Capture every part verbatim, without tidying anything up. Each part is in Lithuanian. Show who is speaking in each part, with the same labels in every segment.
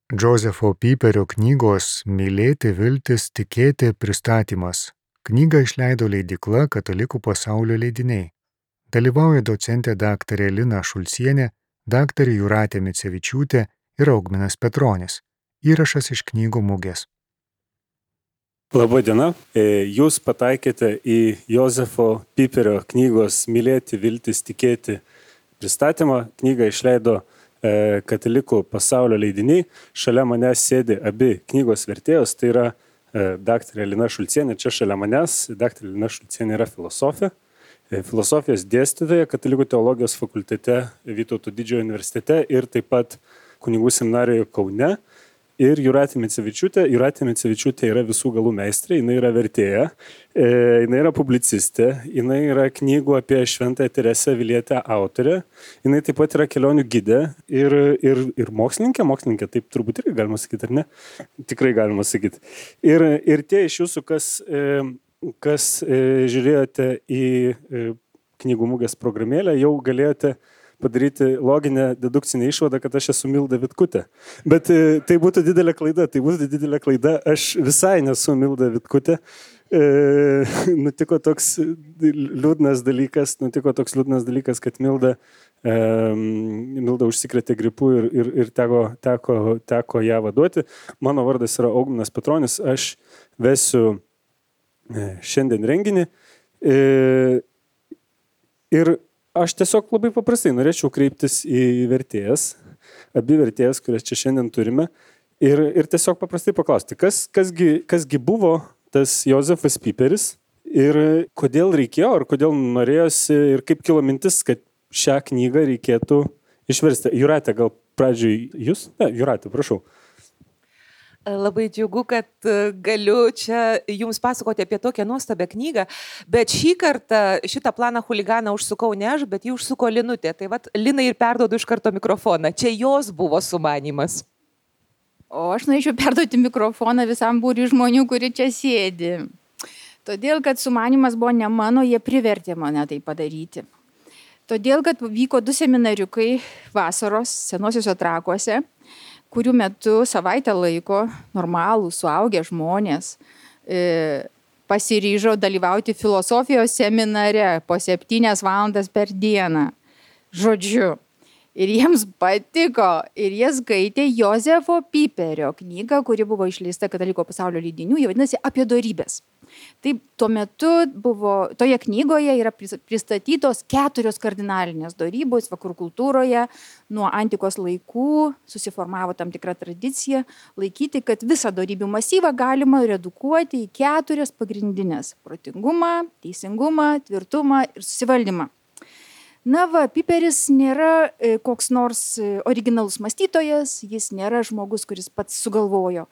Speaker 1: Džozefo Piperio knygos Mylėti, viltis, tikėti pristatymas. Knygą išleido leidykla Katalikų pasaulio leidiniai. Dalyvauja docentė daktarė Lina Šulcienė, daktarė Jūratė Micevičiūtė ir Augminas Petronis. Įrašas iš knygų mugės.
Speaker 2: Labą dieną. Jūs pataikėte į Jozefo Piperio knygos Mylėti, viltis, tikėti pristatymą. Knygą išleido Katalikų pasaulio leidiniai. Šalia manęs sėdi abi knygos vertėjos, tai yra daktarė Lina Šulcienė, čia šalia manęs. Daktarė Lina Šulcienė yra filosofė, filosofijos dėstytoja Katalikų teologijos fakultete Vytauto Didžiojo universitete ir taip pat kunigų seminarijoje Kaune. Ir Jūratė Micevičiūtė. Jūratė Micevičiūtė yra visų galų meistrė, jinai yra vertėja, e, jinai yra publicistė, jinai yra knygų apie Šventąją Teresę Avilietę autorė, jinai taip pat yra kelionių gidė ir, ir, ir mokslininkė, mokslininkė, taip turbūt irgi galima sakyti, ar ne? Tikrai galima sakyti. Ir, ir tie iš jūsų, kas, e, kas e, žiūrėjote į e, knygų mugės programėlę, jau galėjote padaryti loginę dedukcinę išvadą, kad aš esu Milda Vitkutė. Bet e, tai būtų didelė klaida, tai būtų didelė klaida. Aš visai nesu Milda Vitkutė. E, nutiko toks liūdnas dalykas, nutiko toks liūdnas dalykas, kad Milda, e, Milda užsikrėtė gripu ir, ir, ir teko, teko, teko ją vaduoti. Mano vardas yra Augminas Petronis, aš vesiu e, šiandien renginį. E, ir Aš tiesiog labai paprastai norėčiau kreiptis į vertėjas, abi vertėjas, kurias čia šiandien turime, ir, ir tiesiog paprastai paklausti, kas, kasgi, kasgi buvo tas Jozefas Piperis ir kodėl reikėjo, ar kodėl norėjosi ir kaip kilo mintis, kad šią knygą reikėtų išversti. Jūratė, gal pradžioj jūs? Ne, Jūratė, prašau.
Speaker 3: Labai džiugu, kad galiu čia jums pasakoti apie tokią nuostabią knygą, bet šį kartą šitą planą chuliganą užsukau ne aš, bet jį užsuko Linutė. Tai vat Linai ir perduodu iš karto mikrofoną. Čia jos buvo sumanymas.
Speaker 4: O aš norėčiau perduoti mikrofoną visam būriui žmonių, kurie čia sėdi. Todėl, kad sumanymas buvo ne mano, jie privertė mane tai padaryti. Todėl, kad vyko du seminariukai vasaros Senuosiuose Trakuose, kurių metu savaitę laiko normalų suaugę žmonės e, pasiryžo dalyvauti filosofijos seminare po septynias valandas per dieną. Žodžiu. Ir jiems patiko. Ir jie skaitė Jozefo Piperio knygą, kuri buvo išleista Katalikų pasaulio leidinių. Jie vadinasi Apie dorybes. Taip, tuo metu buvo, toje knygoje yra pristatytos keturios kardinalinės dorybos vakarų kultūroje. Nuo antikos laikų susiformavo tam tikra tradicija laikyti, kad visą dorybių masyvą galima redukuoti į keturias pagrindinės – protingumą, teisingumą, tvirtumą ir susivaldymą. Na va, Piperis nėra e, koks nors originalus mąstytojas, jis nėra žmogus, kuris pats sugalvojo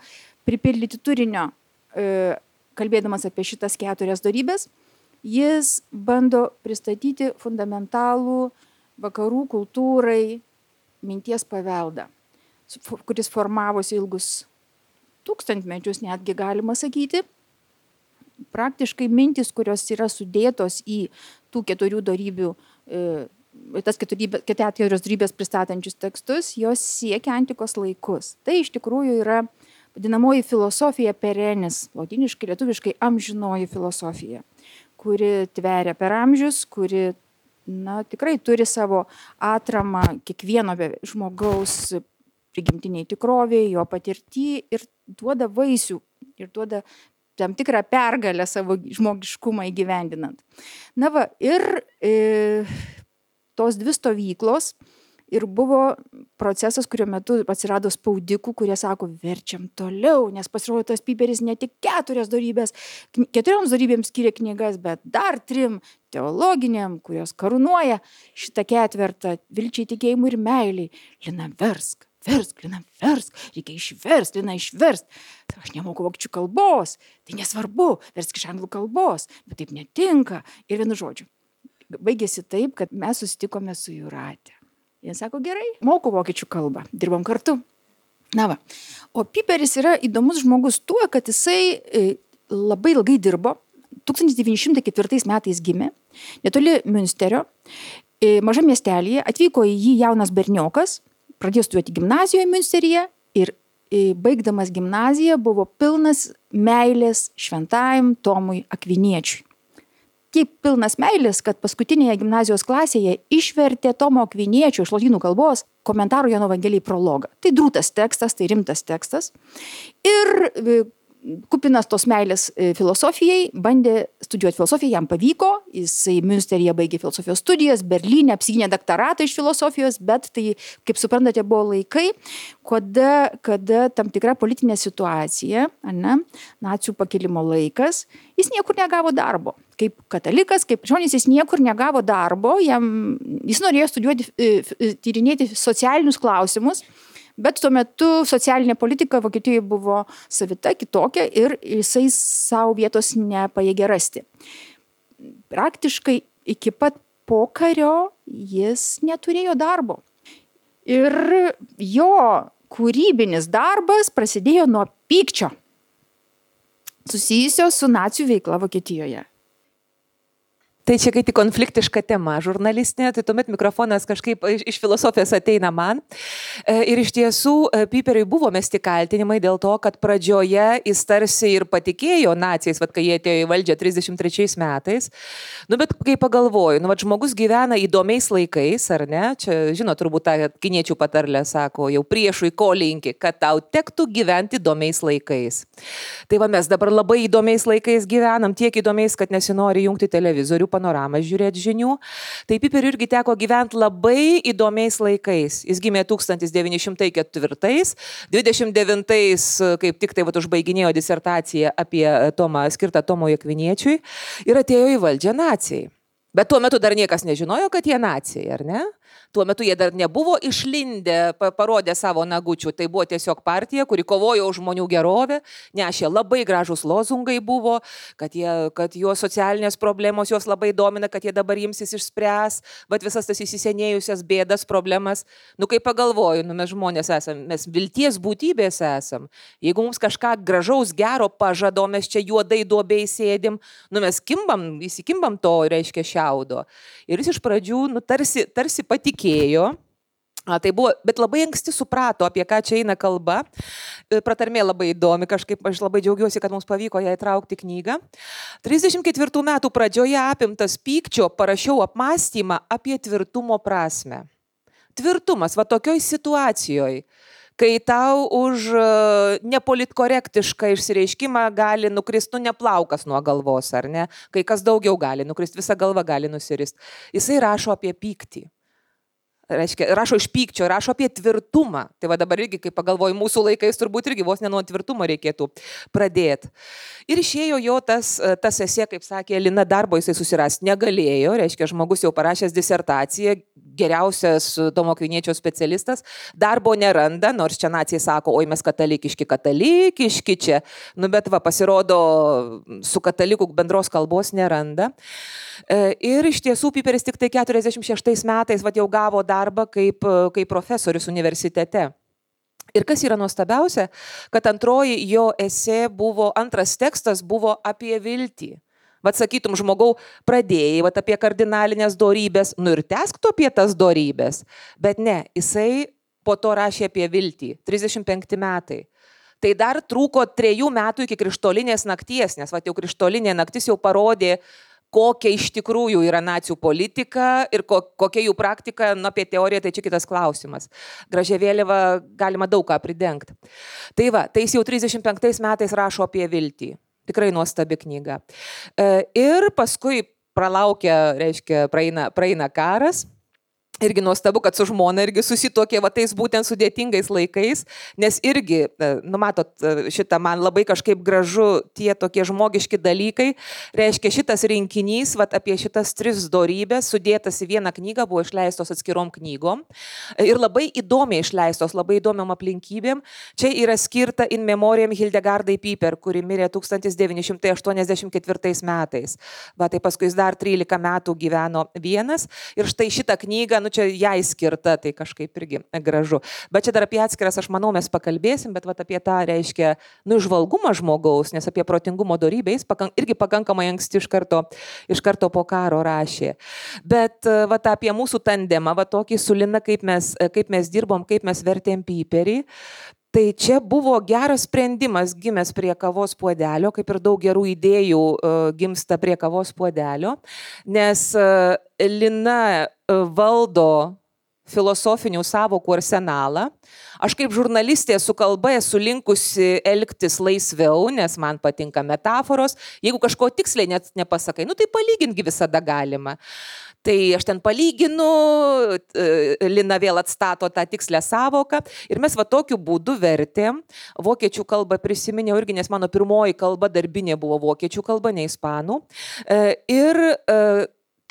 Speaker 4: pripildyti turinio, e, kalbėdamas apie šitas keturias dorybes. Jis bando pristatyti fundamentalų vakarų kultūrai minties paveldą, kuris formavosi ilgus tūkstantmečius, netgi galima sakyti. Praktiškai mintis, kurios yra sudėtos į tų keturių dorybių, e, tas keturios, keturios dorybės pristatančius tekstus, jos siekia antikos laikus. Tai iš tikrųjų yra vadinamoji filosofija perenis, lotyniškai, lietuviškai amžinoji filosofija, kuri tveria per amžius, kuri na, tikrai turi savo atramą kiekvieno žmogaus prigimtiniai tikrovėje, jo patirtį ir duoda vaisių ir duoda tam tikrą pergalę savo žmogiškumą įgyvendinant. Na va, ir e, tos dvi stovyklos ir buvo procesas, kurio metu atsirado spaudikų, kurie sako, verčiam toliau, nes pasirodo tas Piperis ne tik keturias dorybės, keturioms dorybėms skiria knygas, bet dar trim teologiniam, kurios karūnuoja šitą ketvertą vilčiai, tikėjimui ir meiliai. Lina, versk. Versk, Lina, versk, reikia išverst, Lina, išverst. Aš nemoku vokiečių kalbos, tai nesvarbu, versk iš anglų kalbos, bet taip netinka. Ir vienu žodžiu, baigėsi taip, kad mes susitikome su Jūratė. Jis sako, gerai, moku vokiečių kalbą, dirbam kartu. Na va, o Piperis yra įdomus žmogus tuo, kad jisai labai ilgai dirbo, tūkstantis devyni šimtai ketvirtais metais gimė, netoli Münsterio, mažam miestelyje, atvyko į jį jaunas berniokas, pradėjo studijuoti gimnazijoje Münsteryje ir baigdamas gimnaziją, buvo pilnas meilės šventajam Tomui Akviniečiui. Tiek pilnas meilės, kad paskutinėje gimnazijos klasėje išvertė Tomo Akviniečio iš lotynų kalbos komentarų Jono Evangelijai prologą. Tai drūtas tekstas, tai rimtas tekstas. Ir kupinas tos meilės filosofijai, bandė studijuoti filosofiją, jam pavyko, jisai Münsteryje baigė filosofijos studijas, Berlyne apsigynė daktaratą iš filosofijos, bet tai, kaip suprantate, buvo laikai, kada, kada tam tikra politinė situacija, ne, nacių pakilimo laikas, jis niekur negavo darbo. Kaip katalikas, kaip krikščionis, jis niekur negavo darbo, jam, jis norėjo studijuoti, tyrinėti socialinius klausimus, bet tuo metu socialinė politika Vokietijoje buvo savita, kitokia ir jisai savo vietos nepajėgė rasti. Praktiškai iki pat pokario jis neturėjo darbo. Ir jo kūrybinis darbas prasidėjo nuo pykčio, susijusio su nacių veikla Vokietijoje.
Speaker 3: Tai čia kai tik konfliktiška tema žurnalistinė, tai tuomet mikrofonas kažkaip iš, iš filosofijos ateina man. Ir iš tiesų Piperiui buvo mesti kaltinimai dėl to, kad pradžioje jis tarsi ir patikėjo naciais, vat, kai jie atėjo į valdžią trisdešimt trečiais metais. Nu, bet kai pagalvoju, nu, vat, žmogus gyvena įdomiais laikais, ar ne? Čia, žinot, turbūt tą kiniečių patarlę sako, jau priešui ko linki, kad tau tektų gyventi įdomiais laikais. Tai va, mes dabar labai įdomiais laikais gyvenam, tiek įdomiais, kad nesinori jungti televizorių, panoramą žiūrėti žinių. Tai Piperiui irgi teko gyventi labai įdomiais laikais. Jis gimė tūkstantis devyni šimtai ketvirtais, dvidešimt devintais kaip tik tai vat, užbaiginėjo disertaciją apie Tomą, skirtą Tomui Akviniečiui ir atėjo į valdžią nacijai. Bet tuo metu dar niekas nežinojo, kad jie nacijai, ar ne? Tuo metu jie dar nebuvo išlindę, parodę savo nagučių. Tai buvo tiesiog partija, kuri kovojo už žmonių gerovę, nešė labai gražus lozungai buvo, kad, jie, kad jo socialinės problemos juos labai domina, kad jie dabar imsis išspręs, bet visas tas įsisenėjusias bėdas, problemas. Nu, kai pagalvoju, nu, mes žmonės esam, mes vilties būtybės esam. Jeigu mums kažką gražaus, gero pažado, mes čia juodai duobei sėdim, nu, mes kimbam, įsikimbam to, reiškia, šiaudo. Ir jis iš pradžių, nu, tarsi, tarsi patikėjo. A, tai buvo, bet labai anksti suprato, apie ką čia eina kalba. Pratarmė labai įdomi, kažkaip aš labai džiaugiuosi, kad mums pavyko ją įtraukti knygą. trisdešimt ketvirtų metų pradžioje apimtas pykčio parašiau apmąstymą apie tvirtumo prasmę. Tvirtumas, va tokioj situacijoje, kai tau už nepolitkorektišką išsireiškimą gali nukristi, nu, neplaukas nuo galvos, ar ne? Kai kas daugiau gali nukristi, visa galva gali nusirist. Jisai rašo apie pyktį. Reiškia, rašo iš pykčio, rašo apie tvirtumą. Tai va dabar irgi, kai pagalvoju, mūsų laikais turbūt irgi vos ne nuo tvirtumo reikėtų pradėti. Ir išėjo jo tas, tas esė, kaip sakė Lina, darbo jisai susirasti negalėjo. Reiškia, žmogus jau parašęs disertaciją, geriausias Tomo Akviniečio specialistas, darbo neranda, nors čia nacijai sako, oi mes katalikiški, katalikiški čia. Nu, bet va, pasirodo, su katalikų bendros kalbos neranda. Ir iš tiesų Piperis tik tai keturiasdešimt šeštais metais va, jau gavo darbą kaip, kaip profesorius universitete. Ir kas yra nuostabiausia, kad antroji jo esė buvo, antras tekstas buvo apie viltį. Vat sakytum, žmogau, pradėjai vat, apie kardinalinės dorybės, nu ir tęsk tu apie tas dorybės. Bet ne, jisai po to rašė apie viltį, trisdešimt penkti metai. Tai dar trūko trejų metų iki krištolinės nakties, nes vat, jau krištolinė naktis jau parodė, kokia iš tikrųjų yra nacių politika ir ko, kokia jų praktika, nu, apie teoriją tai čia kitas klausimas. Gražią vėliavą galima daug ką pridengti. Tai va, tai jis jau trisdešimt penktais metais rašo apie viltį. Tikrai nuostabi knyga. Ir paskui pralaukia, reiškia, praeina, praeina karas. Irgi nuostabu, kad su žmona irgi susitokė va tais būtent sudėtingais laikais, nes irgi, nu matot, šitą man labai kažkaip gražu tie tokie žmogiški dalykai, reiškia šitas rinkinys, va apie šitas tris dorybės sudėtas į vieną knygą, buvo išleistos atskirom knygom ir labai įdomiai išleistos, labai įdomiam aplinkybėm. Čia yra skirta in memoriam Hildegardai Piper, kuri mirė tūkstantis devyni šimtai aštuoniasdešimt ketvirtais metais. Va tai paskui jis dar trylika metų gyveno vienas ir štai šitą knygą, nu čia jai skirta, tai kažkaip irgi gražu. Bet čia dar apie atskiras, aš manau, mes pakalbėsim, bet vat apie tą reiškia, nu, žvalgumą žmogaus, nes apie protingumo dorybę jis pakank, irgi pakankamai anksti iš karto, iš karto po karo rašė. Bet vat apie mūsų tandemą, vat tokį su Lina, kaip mes, kaip mes dirbom, kaip mes vertėm Piperį. Tai čia buvo geras sprendimas gimęs prie kavos puodelio, kaip ir daug gerų idėjų gimsta prie kavos puodelio, nes Lina valdo filosofinių sąvokų arsenalą. Aš kaip žurnalistė su kalba esu linkusi elgtis laisviau, nes man patinka metaforos. Jeigu kažko tiksliai net nepasakai, nu tai palyginti visada galima. Tai aš ten palyginu, Lina vėl atstato tą tikslę sąvoką ir mes va tokiu būdu vertėm. Vokiečių kalbą prisiminiau irgi, nes mano pirmoji kalba darbinė buvo vokiečių kalba, ne ispanų. Ir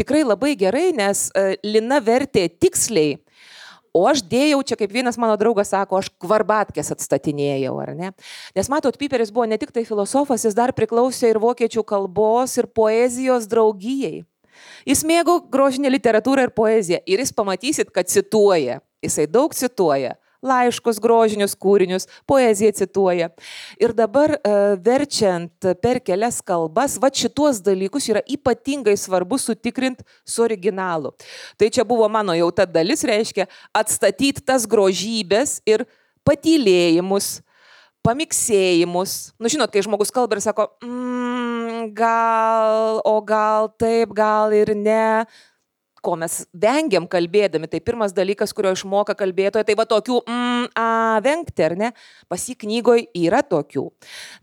Speaker 3: tikrai labai gerai, nes Lina vertė tiksliai, o aš dėjau, čia kaip vienas mano draugas sako, aš kvarbatkės atstatinėjau, ar ne? Nes matot, Piperis buvo ne tik tai filosofas, jis dar priklausė ir vokiečių kalbos ir poezijos draugijai. Jis mėgo grožinę literatūrą ir poeziją ir jis pamatysit, kad cituoja. Jisai daug cituoja. Laiškus, grožinius kūrinius, poeziją cituoja. Ir dabar verčiant per kelias kalbas, va šituos dalykus yra ypatingai svarbu sutikrinti su originalu. Tai čia buvo mano jau ta dalis, reiškia atstatyti tas grožybės ir patylėjimus, pamiksėjimus. Nu, žinot, kai žmogus kalba ir sako, mm, gal, o gal taip, gal ir ne. Ko mes vengiam kalbėdami, tai pirmas dalykas, kurio išmoka kalbėtoja, tai va tokių mm, a, vengti, ar ne? Pas jį knygoje yra tokių.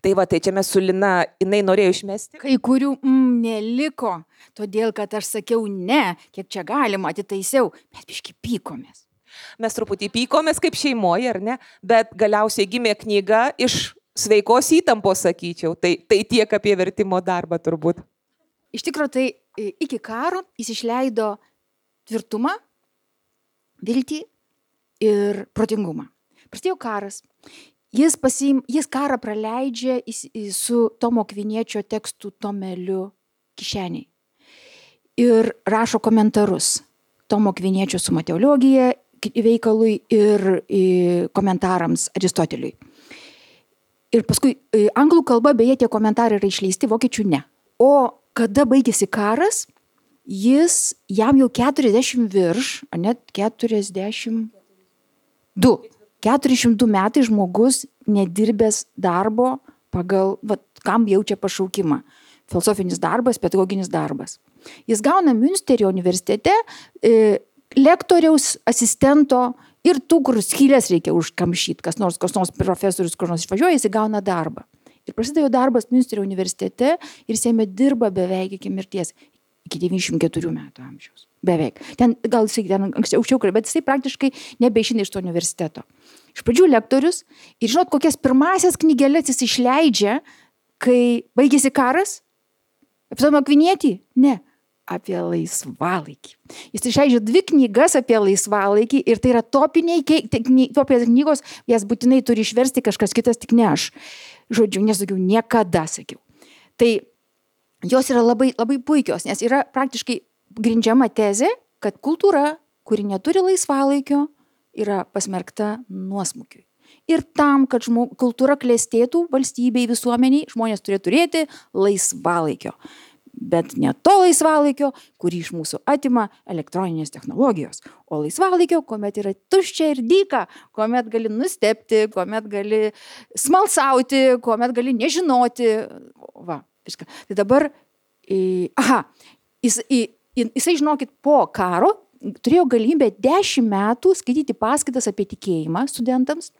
Speaker 3: Tai va, tai čia mes su Lina, jinai norėjo išmesti.
Speaker 4: Kai kurių mm, neliko, todėl kad aš sakiau ne, kiek čia galima, atitaisiau, bet biški pykomės.
Speaker 3: Mes truputį pykomės kaip šeimoje, ar ne? Bet galiausiai gimė knyga iš sveikos įtampos, sakyčiau. Tai, tai tiek apie vertimo darbą turbūt.
Speaker 4: Iš tikrųjų, tai iki karo jis išleido tvirtumą, viltį ir protingumą. Prasidėjo karas. Jis, pasim, jis karą praleidžia su Tomo Akviniečio tekstų tomeliu kišeniai. Ir rašo komentarus Tomo Akviniečio Suma teologija veikalui ir komentarams Aristoteliui. Ir paskui anglų kalba beje tie komentarai yra išleisti, vokiečių ne. O kada baigėsi karas, jis jam jau keturiasdešimt virš, ar net keturiasdešimt du. keturiasdešimt du metai žmogus nedirbęs darbo pagal, va, kam jaučia pašaukimą. Filosofinis darbas, pedagoginis darbas. Jis gauna Münsterio universitete e, lektoriaus, asistento ir tų, kur skylės reikia užkamšyti, kas nors, kas nors profesorius, kur nors išvažiuoja, jis gauna darbą. Ir prasidėjo darbas Münsterio universitete ir jis jame dirba beveik iki mirties. Iki devyniasdešimt keturių metų amžiaus. Beveik. Ten, gal jisai ten anksčiau, bet jisai praktiškai nebeišina iš to universiteto. Iš pradžių lektorius ir žinot, kokias pirmasias knygelės jis išleidžia, kai baigėsi karas? Apie Tomą Akvinietį? Ne. Apie laisvalaikį. Jis išleidžia dvi knygas apie laisvalaikį ir tai yra topiniai, topinės knygos, jas būtinai turi išversti kažkas kitas, tik ne aš. Žodžiu, nesakiau, niekada sakiau. Tai jos yra labai, labai puikios, nes yra praktiškai grindžiama tezė, kad kultūra, kuri neturi laisvalaikio, yra pasmerkta nuosmukiui. Ir tam, kad žmog, kultūra klestėtų valstybei, visuomeniai, žmonės turi turėti laisvalaikio. Bet ne to laisvalaikio, kurį iš mūsų atima elektroninės technologijos. O laisvalaikio, kuomet yra tuščia ir dyka, kuomet gali nustebti, kuomet gali smalsauti, kuomet gali nežinoti. Va, viską. Tai dabar, aha, jis, jisai, žinokit, po karo turėjo galimybę dešimt metų skaityti paskaitas apie tikėjimą studentams.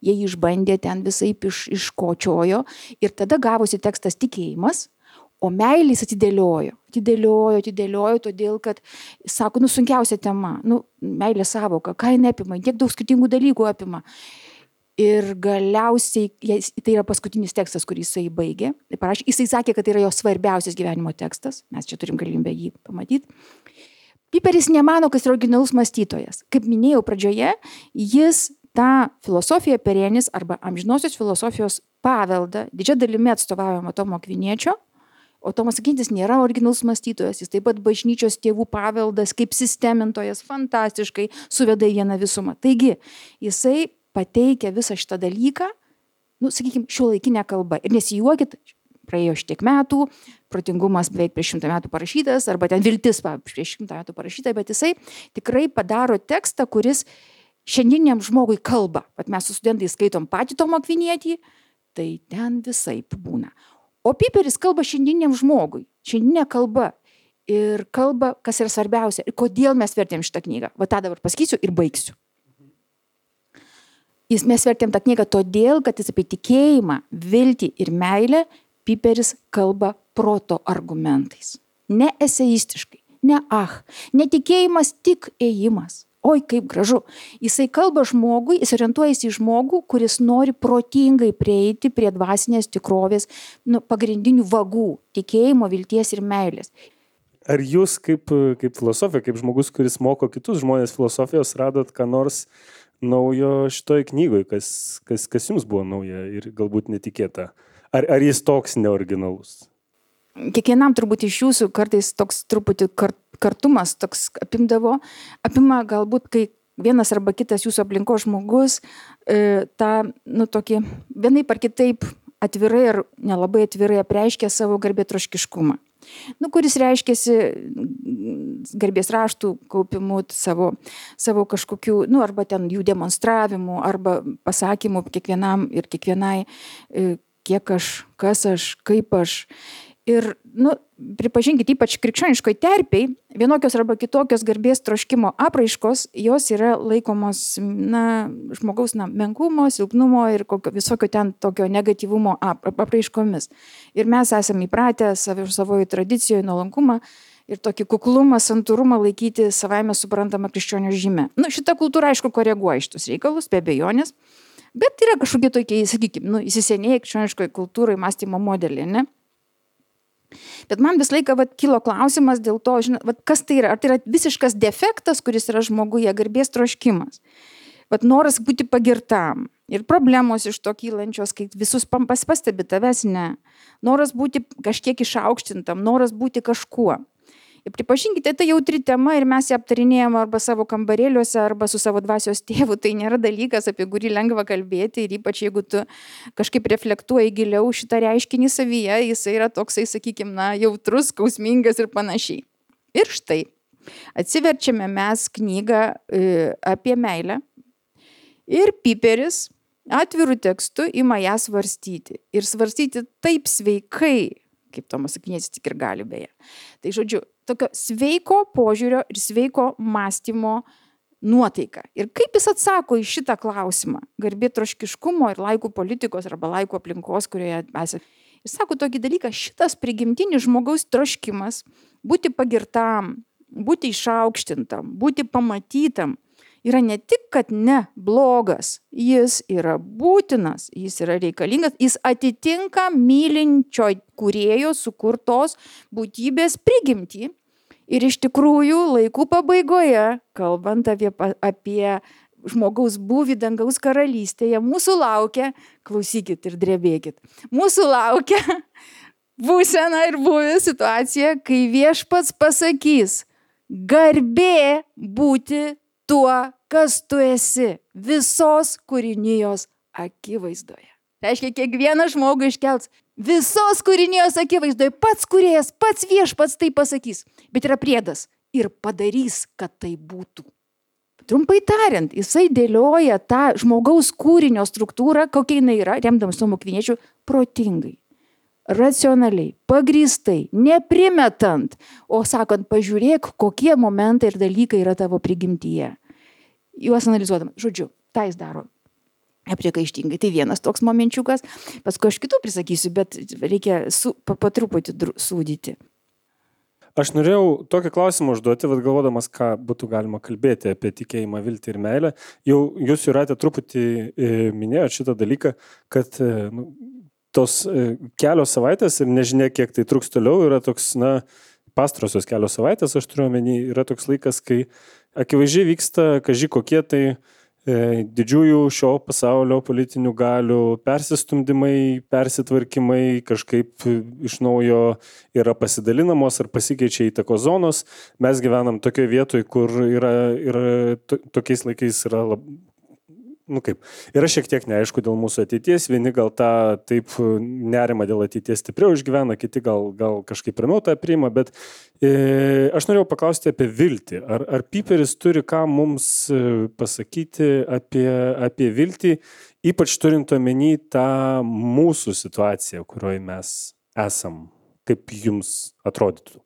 Speaker 4: Jie išbandė ten visaip iš, iškočiojo ir tada gavosi tekstas tikėjimas. O meilės atidėliojo, atidėliojo, atidėliojo, todėl, kad, sako, nu, sunkiausia tema, nu, meilės sąvoka, ką jinai apima, tiek daug skirtingų dalykų apima. Ir galiausiai, tai yra paskutinis tekstas, kurį jisai baigė. Jisai sakė, kad tai yra jo svarbiausias gyvenimo tekstas, mes čia turim galimybę jį pamatyti. Piperis nemano, kad jis yra originalus mąstytojas. Kaip minėjau pradžioje, jis tą filosofiją Perenis arba amžinosios filosofijos paveldą didžia dalimi atstovaujama Tomo Akviniečio. O Tomas Akvinėtis nėra originalus mąstytojas, jis taip pat bažnyčios tėvų paveldas kaip sistemintojas fantastiškai suveda į vieną visumą. Taigi, jisai pateikia visą šitą dalyką, nu, sakykime, šiuolaikinę kalbą. Ir nesijuokit, praėjo šitiek metų, protingumas beveik prieš šimtą metų parašytas, arba ten viltis prieš šimtą metų parašyta, bet jisai tikrai padaro tekstą, kuris šiandieniam žmogui kalba. Vat mes su studentais skaitom patį Tomą Akvinietį, tai ten visaip būna. O Piperis kalba šiandieniam žmogui, šiandieninė kalba. Ir kalba, kas yra svarbiausia, ir kodėl mes vertėm šitą knygą. Va tą dabar pasakysiu ir baigsiu. Jis, mes vertėm tą knygą todėl, kad jis apie tikėjimą, viltį ir meilę Piperis kalba proto argumentais. Ne eseistiškai, ne ach, netikėjimas tik ėjimas. Oi, kaip gražu. Jisai kalba žmogui, jis orientuojasi į žmogų, kuris nori protingai prieiti prie dvasinės tikrovės, nu, pagrindinių vagų – tikėjimo, vilties ir meilės.
Speaker 2: Ar jūs kaip, kaip filosofija, kaip žmogus, kuris moko kitus žmonės filosofijos, radot ką nors naujo šitoj knygoj, kas, kas, kas jums buvo nauja ir galbūt netikėta? Ar, ar jis toks neoriginalus?
Speaker 4: Kiekvienam turbūt iš jūsų kartais toks truputį kart, kartumas toks apimdavo, apima galbūt, kai vienas arba kitas jūsų aplinkos žmogus e, tą, nu, tokį vienaip ar kitaip atvirai ar nelabai atvirai apreiškia savo garbėtroškiškumą. Nu, kuris reiškiasi garbės raštų kaupimu, savo, savo kažkokių, nu, arba ten jų demonstravimu, arba pasakymu kiekvienam ir kiekvienai, kiek aš, kas aš, kaip aš. Ir, nu, pripažinkit, ypač krikščioniškoj terpėj, vienokios arba kitokios garbės troškimo apraiškos, jos yra laikomos, na, žmogaus, na, menkumo, silpnumo ir kokio, visokio ten tokio negatyvumo apraiškomis. Ir mes esame įpratę savo, savoje tradicijoje nuolankumą ir tokį kuklumą, santūrumą laikyti savaime suprantamą krikščionio žymę. Nu, šita kultūra, aišku, koreguoja šitus reikalus, be abejonės, bet yra kažkokie tokie, sakykime, nu, įsisenėję krikščioniškoje kultūrai mąstymo modelį, ne? Bet man vis laiką vat, kilo klausimas dėl to, žinot, vat, kas tai yra. Ar tai yra visiškas defektas, kuris yra žmoguje, garbės troškimas. Vat, noras būti pagirtam. Ir problemos iš to kylančios, kai visus pampas pastebi, tavęs ne. Noras būti kažkiek išaukštintam, noras būti kažkuo. Ir pripažinkite, tai jautri tema ir mes ją aptarinėjom arba savo kambarėliuose, arba su savo dvasios tėvu. Tai nėra dalykas, apie kurį lengva kalbėti ir ypač jeigu tu kažkaip reflektuoji giliau šitą reiškinį savyje, jisai yra toksai, sakykime, na, jautrus, skausmingas ir panašiai. Ir štai, atsiverčiame mes knygą e, apie meilę ir Piperis atvirų tekstų ima ją svarstyti. Ir svarstyti taip sveikai, kaip Tomas Akvinietis tik ir gali beje. Tai žodžiu, tokio sveiko požiūrio ir sveiko mąstymo nuotaika. Ir kaip jis atsako į šitą klausimą, garbėtroškiškumo ir laikų politikos arba laikų aplinkos, kurioje esate. Jis sako tokį dalyką, šitas prigimtinis žmogaus troškimas būti pagirtam, būti išaukštintam, būti pamatytam, yra ne tik, kad ne blogas, jis yra būtinas, jis yra reikalingas, jis atitinka mylinčio kūrėjo sukurtos būtybės prigimtį. Ir iš tikrųjų laikų pabaigoje, kalbant apie, apie žmogaus būvį dangaus karalystėje, mūsų laukia, klausykit ir drebėkit, mūsų laukia būsena ir buvę situacija, kai viešpats pasakys, garbė būti tuo, kas tu esi visos kūrinijos akivaizdoje. Tai reiškia, kiekvienas žmogus iškelts visos kūrinijos akivaizdoje, pats kūrėjas, pats viešpats tai pasakys. Bet yra priedas ir padarys, kad tai būtų. Trumpai tariant, jisai dėlioja tą žmogaus kūrinio struktūrą, kokia jinai yra, remdamas Tomu Akviniečiu, protingai, racionaliai, pagrįstai, neprimetant, o sakant, pažiūrėk, kokie momentai ir dalykai yra tavo prigimtyje. Juos analizuodama. Žodžiu, tą jis daro nepriekaištingai. Tai vienas toks momenčiukas. Paskui aš kitų prisakysiu, bet reikia su, pa, pa truputį sūdyti.
Speaker 2: Aš norėjau tokį klausimą užduoti, vad galvodamas, ką būtų galima kalbėti apie tikėjimą, viltį ir meilę. Jau jūs Jūrate truputį e, minėjote šitą dalyką, kad e, nu, tos e, kelios savaitės ir nežinia, kiek tai truks toliau, yra toks, na, pastarosios kelios savaitės, aš turiu omeny, yra toks laikas, kai akivaizdžiai vyksta, kaži kokie tai e, didžiųjų šio pasaulio politinių galių persistumdymai, persitvarkymai, kažkaip iš naujo yra pasidalinamos ar pasikeičia įtakos zonos. Mes gyvenam tokioje vietoje, kur yra, yra to, tokiais laikais yra lab, nu kaip, yra šiek tiek neaišku dėl mūsų ateities, vieni gal tą taip nerimą dėl ateities stipriau išgyvena, kiti gal, gal kažkaip pirmiau tą priima, bet e, aš norėjau paklausti apie viltį. Ar, ar Piperis turi ką mums pasakyti apie, apie viltį, ypač turint omeny tą mūsų situaciją, kurioje mes esam, kaip jums atrodytų?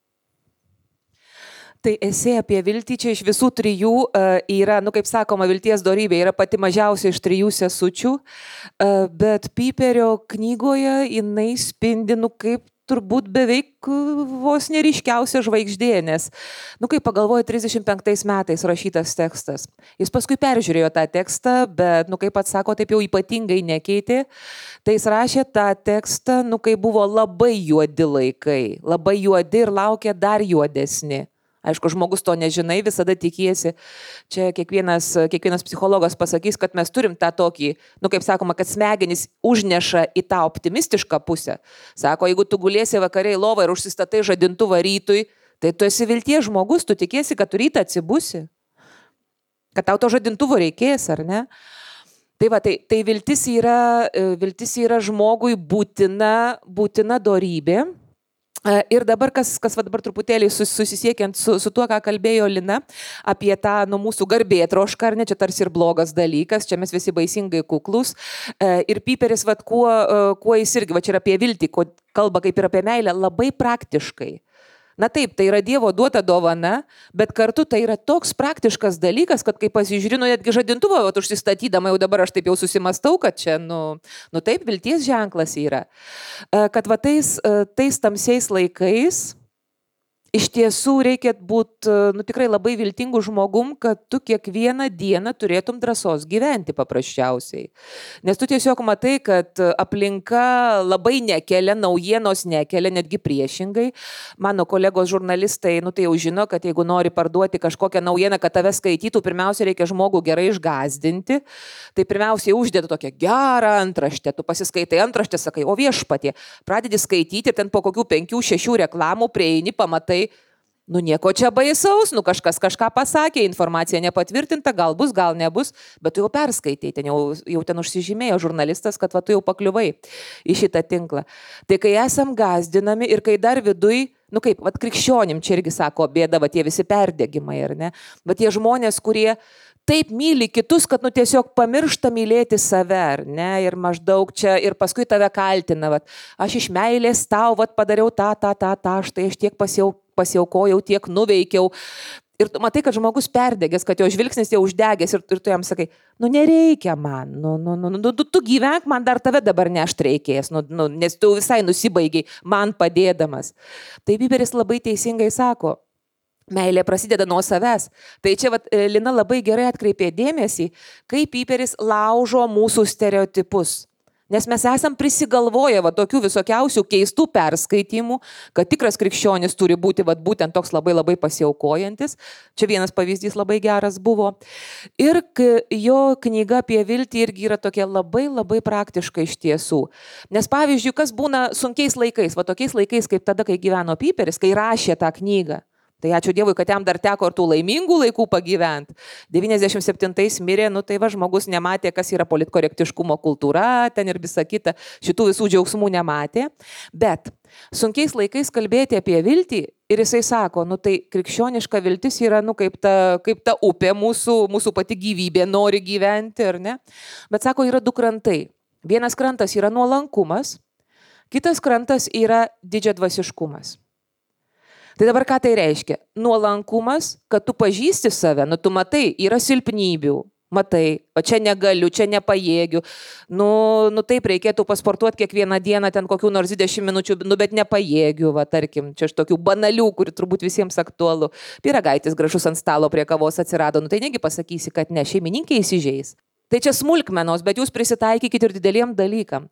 Speaker 3: Tai esė apie viltį čia iš visų trijų uh, yra, nu kaip sakoma, vilties dorybė yra pati mažiausia iš trijų sesučių, uh, bet Piperio knygoje jinai spindi, nu kaip turbūt beveik vos neryškiausia žvaigždė, nes, nu kaip pagalvoju, trisdešimt penktais metais rašytas tekstas. Jis paskui peržiūrėjo tą tekstą, bet, nu kaip pats sako, taip jau ypatingai nekeitė. Tai jis rašė tą tekstą, nu kai buvo labai juodi laikai, labai juodi ir laukė dar juodesni. Aišku, žmogus to nežinai, visada tikiesi. Čia kiekvienas, kiekvienas psichologas pasakys, kad mes turim tą tokį, nu kaip sakoma, kad smegenys užneša į tą optimistišką pusę. Sako, jeigu tu gulėsi vakariai lovą ir užsistatai žadintuvą rytui, tai tu esi vilties žmogus, tu tikiesi, kad tu rytą atsibusi. Kad tau to žadintuvo reikės, ar ne? Tai va, tai, tai viltis yra, viltis yra žmogui būtina, būtina dorybė. Ir dabar, kas, kas va dabar truputėlį susisiekiant su, su tuo, ką kalbėjo Lina, apie tą nu, mūsų garbėtrošką, ar ne, čia tarsi ir blogas dalykas, čia mes visi baisingai kuklus. Ir Piperis, va, kuo, kuo jis irgi, va čia yra apie viltį, kalba kaip ir apie meilę, labai praktiškai. Na taip, tai yra Dievo duota dovana, bet kartu tai yra toks praktiškas dalykas, kad kai pasižiūrinu, netgi žadintuvą, o užsistatydama jau dabar aš taip jau susimastau, kad čia, nu, nu taip, vilties ženklas yra. Kad va tais, tais tamsiais laikais iš tiesų reikia būti nu, tikrai labai viltingų žmogum, kad tu kiekvieną dieną turėtum drąsos gyventi paprasčiausiai. Nes tu tiesiog matai, kad aplinka labai nekelia, naujienos nekelia, netgi priešingai. Mano kolegos žurnalistai, nu tai jau žino, kad jeigu nori parduoti kažkokią naujieną, kad tave skaitytų, pirmiausia reikia žmogų gerai išgąsdinti. Tai pirmiausiai uždėtų tokią gerą antraštę, tu pasiskaitai antraštę, sakai, o viešpatie, pradedi skaityti, ten po kokių penkių, šešių reklamų prieini, pamatai, nu nieko čia baisaus, nu kažkas kažką pasakė, informacija nepatvirtinta, gal bus, gal nebus, bet tu jau perskaitai, ten jau, jau ten užsižymėjo žurnalistas, kad va tu jau pakliuvai į šitą tinklą. Tai kai esam gąsdinami ir kai dar viduj, nu kaip, va krikščionim čia irgi sako bėda, va tie visi perdegimai, ar ne, va tie žmonės, kurie taip myli kitus, kad nu tiesiog pamiršta mylėti save, ar ne, ir maždaug čia, ir paskui tave kaltina, vat, aš iš meilės tau, vat, padariau tą, tą, tą, tą, štai aš tiek pasiau, pasiaukojau, tiek nuveikiau. Ir tu matai, kad žmogus perdegęs, kad jo žvilgsnis jau uždegęs ir, ir tu jam sakai, nu nereikia man, nu, nu, nu, nu tu, tu gyvenk, man dar tave dabar nešt reikės, nu, nu, nes tu visai nusibaigiai man padėdamas. Tai Piperis labai teisingai sako, meilė prasideda nuo savęs. Tai čia vat, Lina labai gerai atkreipė dėmesį, kaip Piperis laužo mūsų stereotipus. Nes mes esam prisigalvoję va, tokių visokiausių keistų perskaitimų, kad tikras krikščionis turi būti va, būtent toks labai labai pasiaukojantis. Čia vienas pavyzdys labai geras buvo. Ir jo knyga apie viltį irgi yra tokia labai labai praktiška iš tiesų. Nes pavyzdžiui, kas būna sunkiais laikais, va tokiais laikais kaip tada, kai gyveno Piperis, kai rašė tą knygą. Tai ačiū Dievui, kad jam dar teko ir tų laimingų laikų pagyventi. devyniasdešimt septintais mirė, nu tai va žmogus nematė, kas yra politkorektiškumo kultūra, ten ir visa kita, šitų visų džiaugsmų nematė. Bet sunkiais laikais kalbėti apie viltį ir jisai sako, nu tai krikščioniška viltis yra nu, kaip, ta, kaip ta upė mūsų, mūsų pati gyvybė, nori gyventi, ar ne? Bet sako, yra du krantai. Vienas krantas yra nuolankumas, kitas krantas yra didžiadvasiškumas. Tai dabar ką tai reiškia? Nuolankumas, kad tu pažįsti save, nu tu matai, yra silpnybių, matai, o čia negaliu, čia nepajėgiu, nu, nu taip reikėtų pasportuoti kiekvieną dieną ten kokių nors dvidešimt minučių, nu bet nepajėgiu, va tarkim, čia iš tokių banalių, kuri turbūt visiems aktualu. Pyragaitis gražus ant stalo prie kavos atsirado, nu tai negi pasakysi, kad ne, šeimininkė įsižeis. Tai čia smulkmenos, bet jūs prisitaikykite ir dideliem dalykam.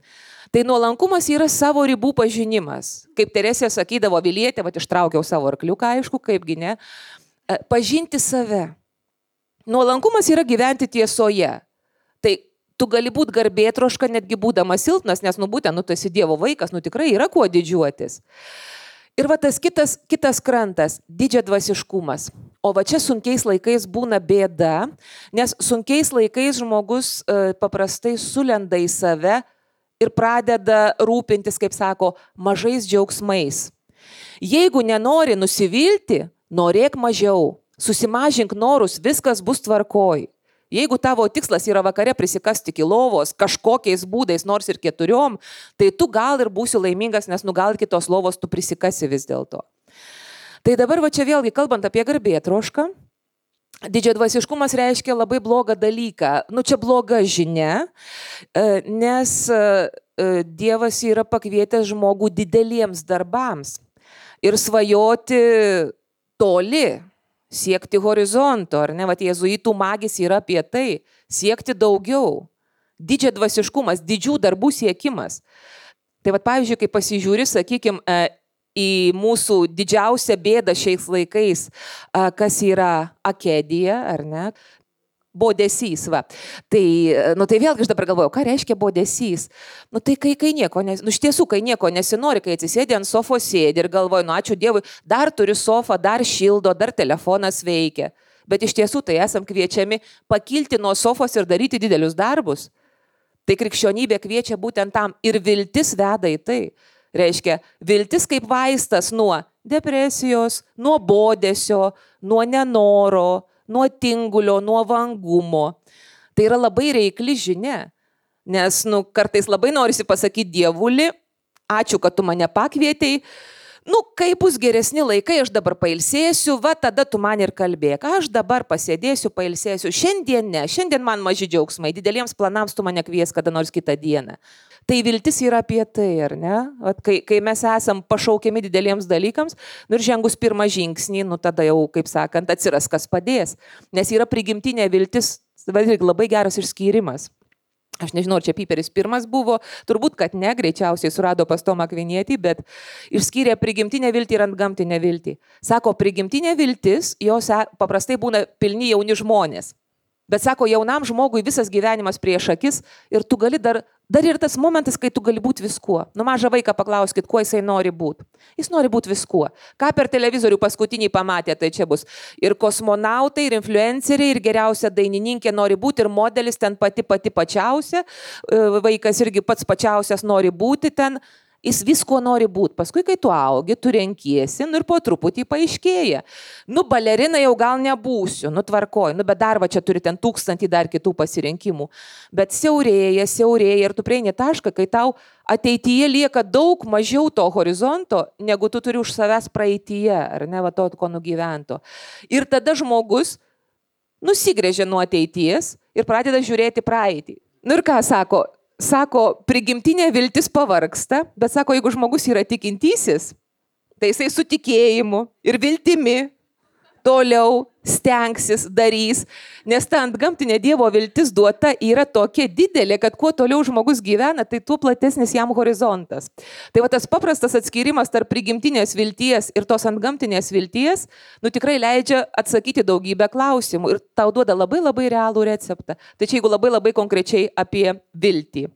Speaker 3: Tai nuolankumas yra savo ribų pažinimas. Kaip Teresė sakydavo, Vilietė, va ištraukiau savo arkliuką, aišku, kaipgi ne, pažinti save. Nuolankumas yra gyventi tiesoje. Tai tu gali būti garbėtroška, netgi būdamas silpnas, nes nu būtent, nu tu esi Dievo vaikas, nu tikrai yra kuo didžiuotis. Ir va tas kitas, kitas krantas - didžiadvasiškumas. O va čia sunkiais laikais būna bėda, nes sunkiais laikais žmogus e, paprastai sulenda į save ir pradeda rūpintis, kaip sako, mažais džiaugsmais. Jeigu nenori nusivilti, norėk mažiau, susimažink norus, viskas bus tvarkoj. Jeigu tavo tikslas yra vakare prisikasti iki lovos kažkokiais būdais, nors ir keturiom, tai tu gal ir būsi laimingas, nes nu gal kitos lovos tu prisikasi vis dėlto. Tai dabar va čia vėlgi kalbant apie garbėtrošką, didžiadvasiškumas reiškia labai blogą dalyką. Nu čia bloga žinia, nes Dievas yra pakvietęs žmogų dideliems darbams ir svajoti toli. Siekti horizonto, ar ne, vat jėzuitų magis yra apie tai, siekti daugiau, didžiadvasiškumas, didžių darbų siekimas. Tai vat pavyzdžiui, kai pasižiūri, sakykime, į mūsų didžiausią bėdą šiais laikais, kas yra akedija, ar ne, bodesys, va. Tai, nu tai vėlgi aš dabar galvoju, ką reiškia bodesys? Nu tai kai, kai nieko, nes, nu iš tiesų, kai nieko nesinori, kai atsisėdė ant sofos sėdi ir galvoju, nu ačiū Dievui, dar turiu sofą, dar šildo, dar telefonas veikia. Bet iš tiesų tai esam kviečiami pakilti nuo sofos ir daryti didelius darbus. Tai krikščionybė kviečia būtent tam ir viltis veda į tai. Reiškia, viltis kaip vaistas nuo depresijos, nuo bodesio, nuo nenoro, nuo tingulio, nuo vangumo. Tai yra labai reikli žinia, nes nu, kartais labai norisi pasakyti Dievuli, ačiū, kad tu mane pakvietei, nu, kai bus geresni laikai, aš dabar pailsėsiu, va tada tu man ir kalbėk, aš dabar pasėdėsiu, pailsėsiu, šiandien ne, šiandien man maži džiaugsmai, dideliems planams tu mane kvies kada nors kitą dieną. Tai viltis yra apie tai, ar ne? Vat, kai, kai mes esam pašaukiami dideliems dalykams, nu ir žengus pirmą žingsnį, nu tada jau, kaip sakant, atsiras kas padės. Nes yra prigimtinė viltis, labai geras išskyrimas. Aš nežinau, ar čia Piperis pirmas buvo, turbūt, kad ne, greičiausiai surado pas Tomą Akvinietį, bet išskyrė prigimtinę viltį ir antgamtinę viltį. Sako, prigimtinė viltis, jos paprastai būna pilni jauni žmonės. Bet sako, jaunam žmogui visas gyvenimas prieš akis ir tu gali dar, dar ir tas momentas, kai tu gali būti viskuo. Nu mažą vaiką paklauskit, kuo jisai nori būti. Jis nori būti viskuo. Ką per televizorių paskutinį pamatė, tai čia bus. Ir kosmonautai, ir influenceriai, ir geriausia dainininkė nori būti, ir modelis ten pati pati pačiausia. Vaikas irgi pats pačiausias nori būti ten. Jis visko nori būti. Paskui, kai tu augi, tu renkiesi, nu ir po truputį paaiškėja. Nu, balerina jau gal nebūsiu, nu tvarkoj, nu bet dar va čia turi ten tūkstantį dar kitų pasirinkimų. Bet siaurėja, siaurėja ir tu prieini tašką, kai tau ateityje lieka daug mažiau to horizonto, negu tu turi už savęs praeityje, ar ne, va to, ko nugyvento. Ir tada žmogus nusigrėžia nuo ateities ir pradeda žiūrėti praeitį. Nu ir ką sako? Sako, prigimtinė viltis pavargsta, bet sako, jeigu žmogus yra tikintysis, tai jisai su tikėjimu ir viltimi toliau stengsis, darys, nes ta antgamtinė Dievo viltis duota yra tokia didelė, kad kuo toliau žmogus gyvena, tai tuo platesnis jam horizontas. Tai va tas paprastas atskirimas tarp prigimtinės vilties ir tos antgamtinės vilties, nu tikrai leidžia atsakyti daugybę klausimų ir tau duoda labai labai realų receptą. Tai čia jeigu labai labai konkrečiai apie viltį.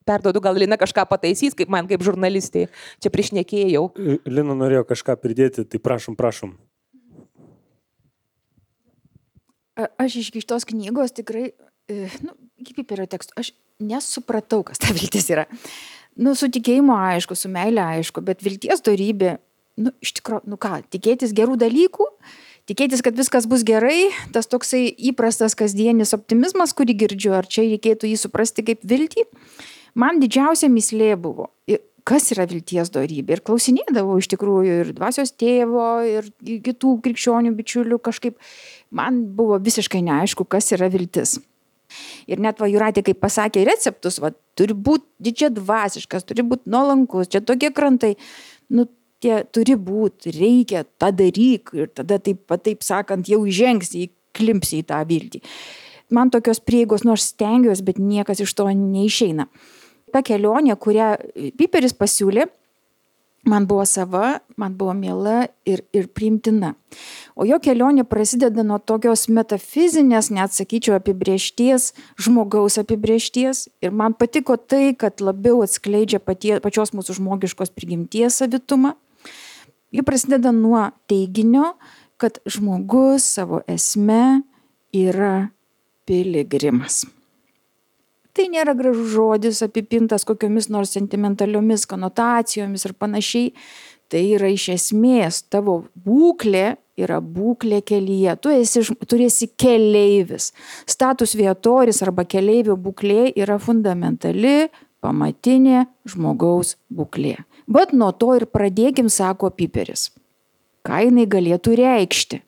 Speaker 3: Perduodu, gal Lina kažką pataisys, kaip man kaip žurnalistė, čia prišnekėjau.
Speaker 2: Lina norėjo kažką pridėti, tai prašom, prašom.
Speaker 4: Aš iš šitos knygos tikrai, nu, kaip Piperio teksto, aš nesupratau, kas ta viltis yra. Nu, su tikėjimu aišku, su meilė aišku, bet vilties dorybė, nu, iš tikrųjų, nu ką, tikėtis gerų dalykų, tikėtis, kad viskas bus gerai, tas toksai įprastas kasdienis optimizmas, kurį girdžiu, ar čia reikėtų jį suprasti kaip viltį, man didžiausia mislė buvo. Kas yra vilties dorybė? Ir klausinėdavau iš tikrųjų ir dvasios tėvo, ir kitų krikščionių bičiulių kažkaip. Man buvo visiškai neaišku, kas yra viltis. Ir net va Jūratė, kaip pasakė receptus, va, turi būti didžia dvasiškas, turi būti nuolankus, čia tokie krantai. Nu, tie turi būti, reikia, tą daryk. Ir tada taip, taip sakant, jau įžengsi, įklimpsi į tą viltį. Man tokios prieigos, nors stengiuosi, bet niekas iš to neišeina. Ta kelionė, kurią Piperis pasiūlė, man buvo sava, man buvo miela ir, ir priimtina. O jo kelionė prasideda nuo tokios metafizinės, net sakyčiau, apibrėžties, žmogaus apibrėžties. Ir man patiko tai, kad labiau atskleidžia patie, pačios mūsų žmogiškos prigimties savitumą. Ji prasideda nuo teiginio, kad žmogus savo esme yra piligrimas. Tai nėra gražus žodis apipintas kokiomis nors sentimentaliomis konotacijomis ir panašiai. Tai yra iš esmės tavo būklė yra būklė kelyje. Tu esi, tu esi keleivis. Status viatoris arba keleivio būklė yra fundamentali, pamatinė žmogaus būklė. Bet nuo to ir pradėkim, sako Piperis. Ką jinai galėtų reikšti?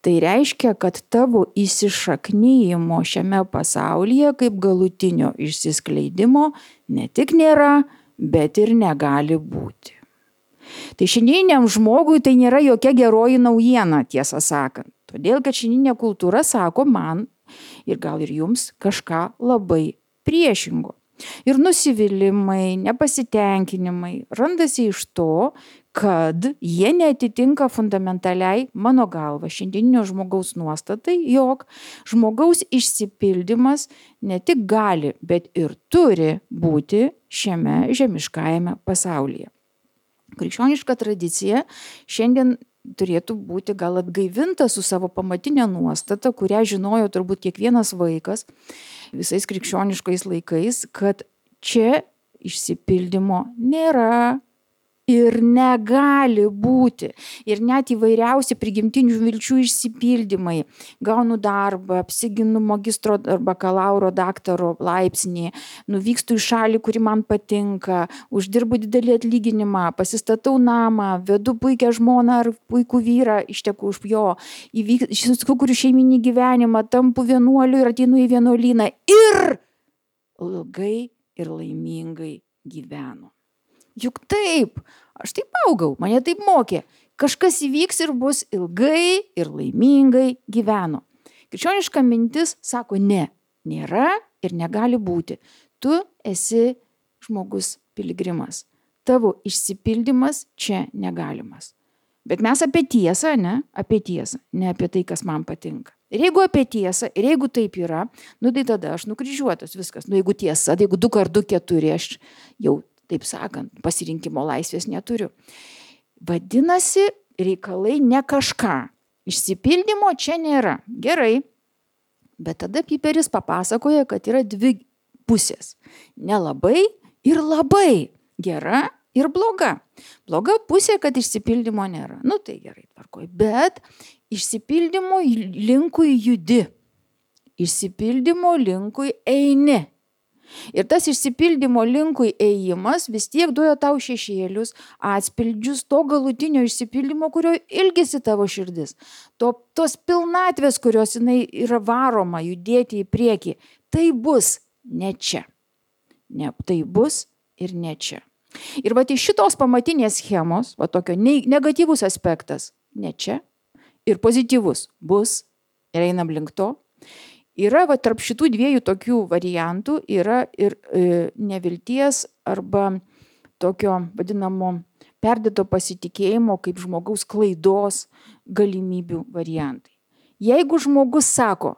Speaker 4: Tai reiškia, kad tavo įsišaknyjimo šiame pasaulyje kaip galutinio išsiskleidimo ne tik nėra, bet ir negali būti. Tai šiandieniam žmogui tai nėra jokia geroji naujiena, tiesą sakant. Todėl, kad šiandieninė kultūra sako man ir gal ir jums kažką labai priešingo. Ir nusivylimai, nepasitenkinimai randasi iš to, kad jie neatitinka fundamentaliai mano galva šiandieninio žmogaus nuostatai, jog žmogaus išsipildymas ne tik gali, bet ir turi būti šiame žemiškajame pasaulyje. Krikščioniška tradicija šiandien turėtų būti gal atgaivinta su savo pamatinė nuostata, kurią žinojo turbūt kiekvienas vaikas visais krikščioniškais laikais, kad čia išsipildymo nėra ir negali būti. Ir net įvairiausi prigimtinių vilčių išsipildymai. Gaunu darbą, apsiginu magistro ar bakalauro daktaro laipsnį, nuvykstu į šalį, kuri man patinka, uždirbu didelį atlyginimą, pasistatau namą, vedu puikią žmoną ar puikų vyrą, išteku už jo, sukuriu šeiminį gyvenimą, tampu vienuoliu ir ateinu į vienuolyną ir ilgai ir laimingai gyvenu. Juk taip, aš taip augau, mane taip mokė. Kažkas įvyks ir bus ilgai ir laimingai gyvenu. Krikščioniška mintis sako ne, nėra ir negali būti. Tu esi žmogus piligrimas. Tavo išsipildymas čia negalimas. Bet mes apie tiesą, ne? Apie tiesą, ne apie tai, kas man patinka. Ir jeigu apie tiesą, ir jeigu taip yra, nu tai tada aš nukryžiuotas viskas. Nu jeigu tiesa, tai jeigu du kart du keturi, aš jau taip sakant, pasirinkimo laisvės neturiu. Vadinasi, reikalai ne kažką. Išsipildymo čia nėra. Gerai. Bet tada Piperis papasakoja, kad yra dvi pusės. Nelabai ir labai. Gera ir bloga. Bloga pusė, kad išsipildymo nėra. Nu tai gerai, tvarkoj. Bet išsipildymo linkui judi. Išsipildymo linkui eini. Ir tas išsipildymo linkui ėjimas vis tiek duoja tau šešėlius, atspildžius to galutinio išsipildymo, kurio ilgisi tavo širdis. To, tos pilnatvės, kurios jinai yra varoma judėti į priekį, tai bus ne čia. Ne, tai bus ir ne čia. Ir va iš šitos pamatinės schemos, va tokio negatyvus aspektas, ne čia, ir pozityvus bus, ir einam link to. Yra va, tarp šitų dviejų tokių variantų yra ir e, nevilties arba tokio vadinamo perdėto pasitikėjimo kaip žmogaus klaidos galimybių variantai. Jeigu žmogus sako,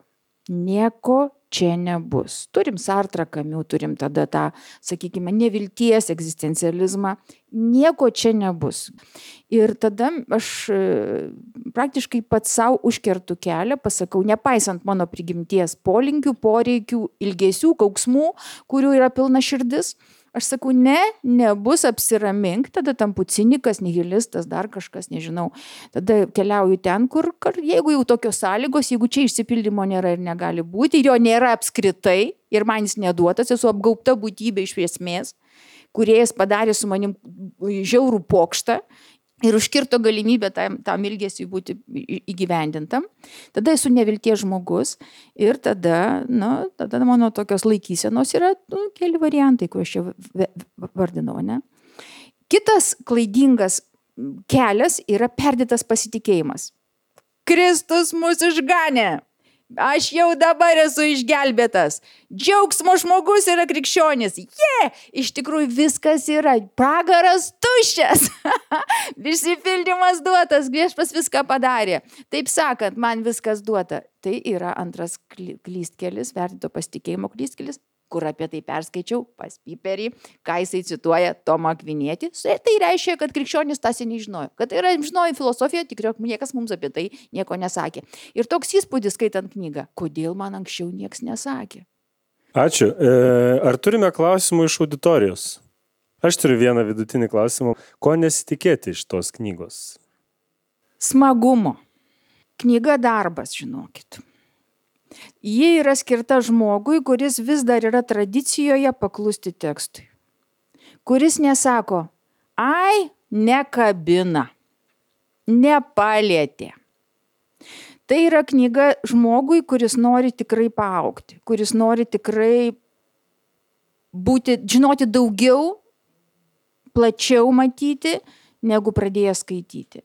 Speaker 4: nieko čia nebus. Turim Sartrą, Camus, turim tada tą, sakykime, nevilties egzistencializmą. Nieko čia nebus. Ir tada aš praktiškai pats savo užkertu kelią, pasakau, nepaisant mano prigimties polinkių, poreikių, ilgesių, kauksmų, kurių yra pilna širdis, aš sakau, ne, nebus, apsiramink, tada tampu cinikas, nihilistas, dar kažkas, nežinau. Tada keliauju ten, kur, kur jeigu jau tokios sąlygos, jeigu čia išsipildymo nėra ir negali būti, ir jo nėra apskritai, ir man jis neduotas, esu apgaubta būtybė iš esmės, kuriejas padarė su manim žiaurų pokštą ir užkirto galimybę tam, tam ilgesiui būti įgyvendintam. Tada esu nevilties žmogus ir tada, nu, tada mano tokios laikysenos yra nu, keli variantai, kur aš čia vardinau. Ne? Kitas klaidingas kelias yra perdėtas pasitikėjimas. Kristus mus išganė. Aš jau dabar esu išgelbėtas. Džiaugsmo žmogus yra krikščionis. Jie, yeah! Iš tikrųjų viskas yra. Pragaras tuščias. Išsipildymas duotas. Viešpats viską padarė. Taip sakant, man viskas duota. Tai yra antras klystkelis, perdėto pasitikėjimo klystkelis, kur apie tai perskaičiau pas Piperį, ką jisai cituoja Tomą Akvinietį. Tai reiškia, kad krikščionis tas nežinojo. Kad tai yra žinojo filosofija, tikrai niekas mums apie tai nieko nesakė. Ir toks įspūdis skaitant knygą, kodėl man anksčiau niekas nesakė.
Speaker 2: Ačiū. Ar turime klausimų iš auditorijos? Aš turiu vieną vidutinį klausimą. Ko nesitikėti iš tos knygos?
Speaker 4: Smagumo. Knyga darbas, žinokit. Ji yra skirta žmogui, kuris vis dar yra tradicijoje paklusti tekstui. Kuris nesako, ai, nekabina, nepalietė. Tai yra knyga žmogui, kuris nori tikrai paaugti, kuris nori tikrai būti, žinoti daugiau, plačiau matyti, negu pradėjęs skaityti.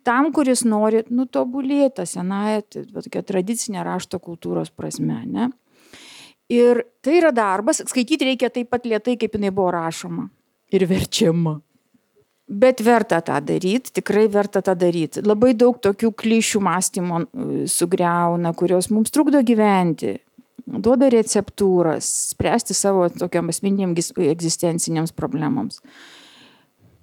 Speaker 4: Tam, kuris nori nutobulėti senąją, tokia tradicinė rašto kultūros prasme. Ne? Ir tai yra darbas, skaityti reikia taip pat lėtai, kaip jinai buvo rašoma ir verčiama. Bet verta tą daryti, tikrai verta tą daryti. Labai daug tokių klišių mąstymo sugriauna, kurios mums trukdo gyventi, duoda receptūras, spręsti savo tokiam asmeniniams egzistenciniams problemams.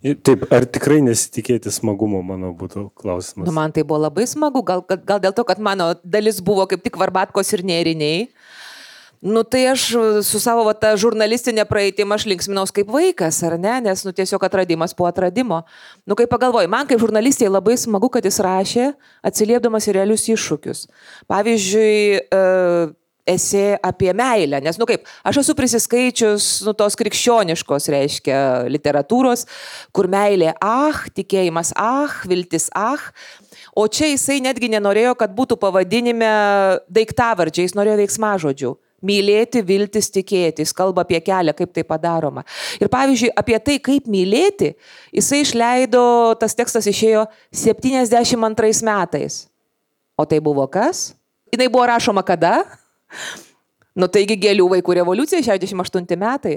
Speaker 2: Taip, ar tikrai nesitikėti smagumo, mano būtų klausimas.
Speaker 3: Nu, man tai buvo labai smagu, gal, gal dėl to, kad mano dalis buvo kaip tik varbatkos ir nėriniai. Nu, tai aš su savo va, ta žurnalistinė praeitim aš linksminaus kaip vaikas, ar ne? Nes nu, tiesiog atradimas po atradimo. Nu, kaip pagalvoju, man kaip žurnalistė labai smagu, kad jis rašė atsiliepdamas į realius iššūkius. Pavyzdžiui, e, esė apie meilę, nes, nu kaip, aš esu prisiskaičius, nu, tos krikščioniškos, reiškia, literatūros, kur meilė, ah, tikėjimas, ah, viltis, ah, o čia jisai netgi nenorėjo, kad būtų pavadinime daiktavardžiai, jis norėjo veiksmažodžių. Mylėti, viltis, tikėti, jis kalba apie kelią, kaip tai padaroma. Ir pavyzdžiui, apie tai, kaip mylėti, jisai išleido, tas tekstas išėjo septyniasdešimt antrais metais. O tai buvo kas? Jinai buvo rašoma kada? Nu taigi Gėlių vaikų revoliucija, šešiasdešimt aštunti metai.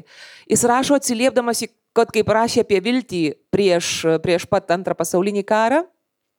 Speaker 3: Jis rašo atsiliepdamas, kad kaip rašė apie viltį prieš, prieš pat antrą pasaulinį karą,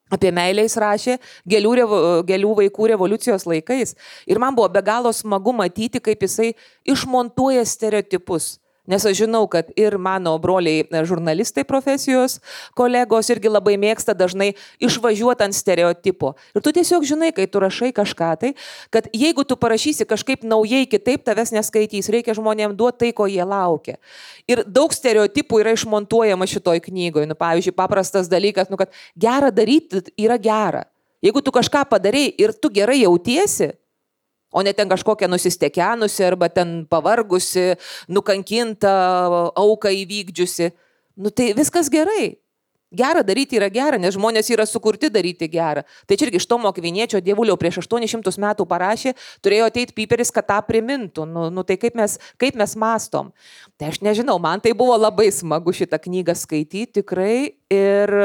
Speaker 3: apie meilę jis rašė Gėlių, revo, Gėlių vaikų revoliucijos laikais. Ir man buvo be galo smagu matyti, kaip jisai išmontuoja stereotipus. Nes aš žinau, kad ir mano broliai žurnalistai profesijos kolegos irgi labai mėgsta dažnai išvažiuoti ant stereotipo. Ir tu tiesiog žinai, kai tu rašai kažką tai, kad jeigu tu parašysi kažkaip naujai kitaip, tavęs neskaitys, reikia žmonėms duoti tai, ko jie laukia. Ir daug stereotipų yra išmontuojama šitoj knygoje. Nu, pavyzdžiui, paprastas dalykas, nu, kad gera daryti yra gera. Jeigu tu kažką padarei ir tu gerai jautiesi, o ne ten kažkokia nusistekenusi arba ten pavargusi, nukankinta, auką įvykdžiusi. Nu tai viskas gerai. Gera daryti yra gera, nes žmonės yra sukurti daryti gerą. Tai čia irgi iš Tomo Akviniečio Dievulio prieš aštuonis šimtus metų parašė, turėjo ateiti Piperis, kad tą primintų. Nu, nu tai kaip mes, kaip mes mastom. Tai aš nežinau, man tai buvo labai smagu šitą knygą skaityti tikrai. Ir,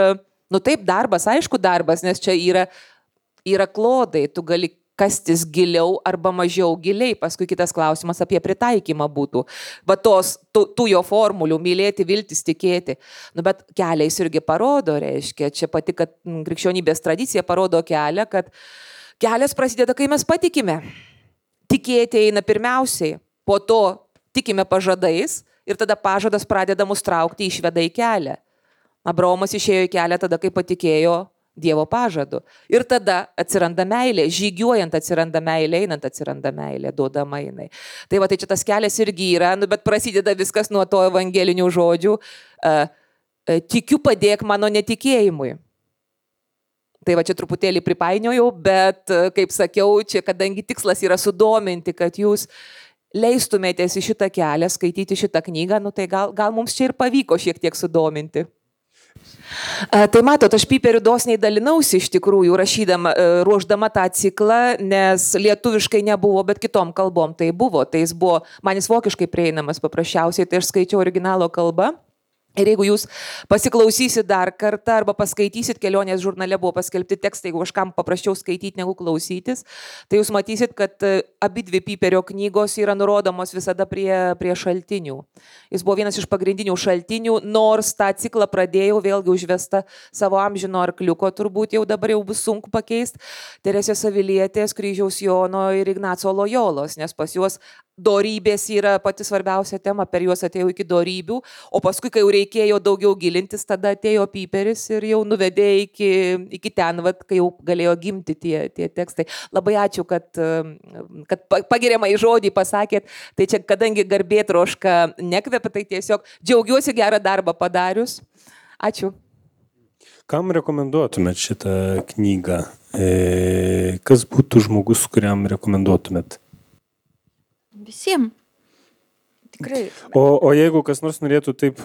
Speaker 3: nu taip, darbas, aišku darbas, nes čia yra, yra klodai, tu gali kastis giliau arba mažiau giliai. Paskui kitas klausimas apie pritaikymą būtų. Va tos, tų, tų jo formulių, mylėti, viltis, tikėti. Nu, bet keliais irgi parodo, reiškia, čia pati, kad krikščionybės tradicija parodo kelią, kad kelias prasideda, kai mes patikime. Tikėti eina pirmiausiai, po to tikime pažadais ir tada pažadas pradeda mus traukti, išveda į kelią. Abraomas išėjo į kelią tada, kai patikėjo Dievo pažadu. Ir tada atsiranda meilė, žygiuojant atsiranda meilė, einant atsiranda meilė, duodama jinai. Tai va, tai čia tas kelias irgi yra, nu, bet prasideda viskas nuo to evangelinių žodžių. Uh, uh, tikiu, padėk mano netikėjimui. Tai va, čia truputėlį pripainiojau, bet, uh, kaip sakiau, čia kadangi tikslas yra sudominti, kad jūs leistumėtės į šitą kelią, skaityti šitą knygą, nu, tai gal, gal mums čia ir pavyko šiek tiek sudominti. Tai matot, aš Piperiu dosniai dalinausi iš tikrųjų, rašydama, ruoždama tą ciklą, nes lietuviškai nebuvo, bet kitom kalbom tai buvo. Tai jis buvo, man jis vokiškai prieinamas paprasčiausiai, tai aš skaičiau originalo kalbą. Ir jeigu jūs pasiklausysit dar kartą arba paskaitysit, Kelionės žurnale buvo paskelbti tekstai, jeigu kažkam paprasčiau skaityti negu klausytis, tai jūs matysit, kad abi dvi Piperio knygos yra nurodomos visada prie, prie šaltinių. Jis buvo vienas iš pagrindinių šaltinių, nors tą ciklą pradėjau, vėlgi užvesta savo amžino arkliuko, turbūt jau dabar jau bus sunku pakeisti, Teresės Avilietės, Kryžiaus Jono ir Ignaco Lojolos, nes pas juos dorybės yra pati svarbiausia tema, per juos atėjau iki dorybių, o paskui, kai jau reikėjo daugiau gilintis, tada atėjo Piperis ir jau nuvedė iki, iki ten, vat, kai jau galėjo gimti tie, tie tekstai. Labai ačiū, kad, kad pagiriamą į žodį pasakėt, tai čia kadangi garbė troška nekvepia, tai tiesiog džiaugiuosi gerą darbą padarius. Ačiū.
Speaker 2: Kam rekomenduotumėt šitą knygą? E, kas būtų žmogus, kuriam rekomenduotumėt?
Speaker 4: Visiems. Tikrai.
Speaker 2: O, o jeigu kas nors norėtų taip,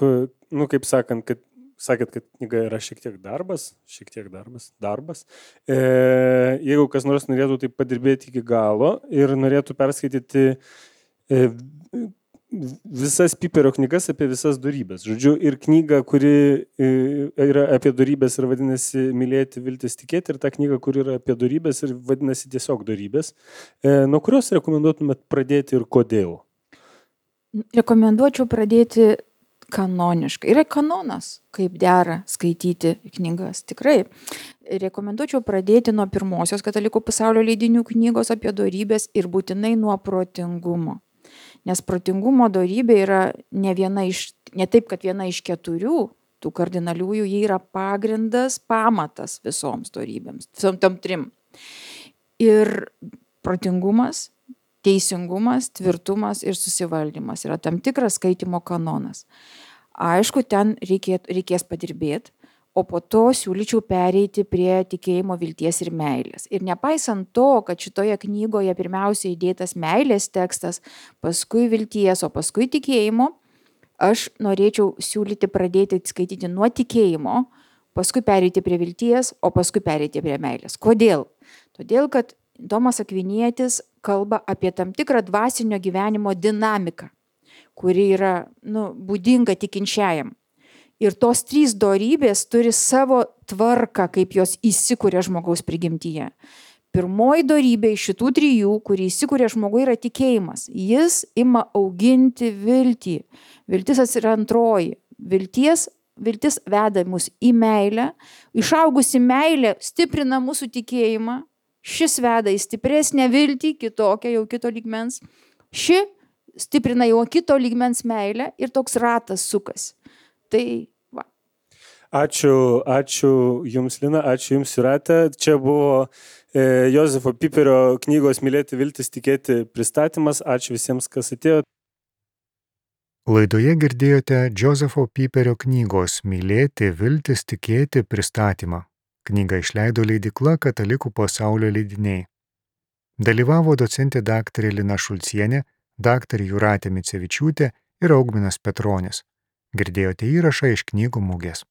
Speaker 2: nu kaip sakant, kad sakėt, kad knyga yra šiek tiek darbas, šiek tiek darbas, darbas. E, jeigu kas nors norėtų taip padirbėti iki galo ir norėtų perskaityti e, visas Piperio knygas apie visas dorybės. Žodžiu, ir knyga, kuri yra apie dorybės ir vadinasi Mylėti, viltis, tikėti, ir ta knyga, kuri yra apie dorybės ir vadinasi tiesiog dorybės. E, nuo kurios rekomenduotumėt pradėti ir kodėl?
Speaker 4: Rekomenduočiau pradėti kanoniškai. Yra kanonas, kaip dera skaityti knygas. Tikrai. Rekomenduočiau pradėti nuo pirmosios Katalikų pasaulio leidinių knygos apie dorybės ir būtinai nuo protingumo. Nes protingumo dorybė yra ne viena iš, ne taip, kad viena iš keturių tų kardinaliųjų, jie yra pagrindas, pamatas visoms dorybėms, visom tom trim. Ir protingumas, teisingumas, tvirtumas ir susivaldymas yra tam tikras skaitimo kanonas. Aišku, ten reikės, reikės padirbėti, o po to siūlyčiau pereiti prie tikėjimo, vilties ir meilės. Ir nepaisant to, kad šitoje knygoje pirmiausia įdėtas meilės tekstas, paskui vilties, o paskui tikėjimo, aš norėčiau siūlyti pradėti skaityti nuo tikėjimo, paskui pereiti prie vilties, o paskui pereiti prie meilės. Kodėl? Todėl, kad Tomas Akvinietis kalba apie tam tikrą dvasinio gyvenimo dinamiką, kuri yra nu, būdinga tikinčiajam. Ir tos trys dorybės turi savo tvarką, kaip jos įsikuria žmogaus prigimtyje. Pirmoji dorybė iš šitų trijų, kuri įsikuria žmogui, yra tikėjimas. Jis ima auginti viltį. Viltis yra antroji. Vilties, viltis veda mus į meilę. Išaugusi meilė stiprina mūsų tikėjimą. Šis veda į stipresnę viltį, kitokią jau kito lygmens. Ši stiprina jau kito lygmens meilę ir toks ratas sukas. Tai va.
Speaker 2: Ačiū, ačiū Jums, Lina, ačiū Jums, Jūrate. Čia buvo e, Jozefo Piperio knygos Mylėti, viltis, tikėti pristatymas. Ačiū visiems, kas atėjo.
Speaker 1: Laidoje girdėjote Jozefo Piperio knygos Mylėti, viltis, tikėti pristatymą. Knygą išleido leidykla Katalikų pasaulio leidiniai. Dalyvavo docentė daktarė Lina Šulcienė, daktarė Jūratė Micevičiūtė ir Augminas Petronis. Girdėjote įrašą iš knygų mugės.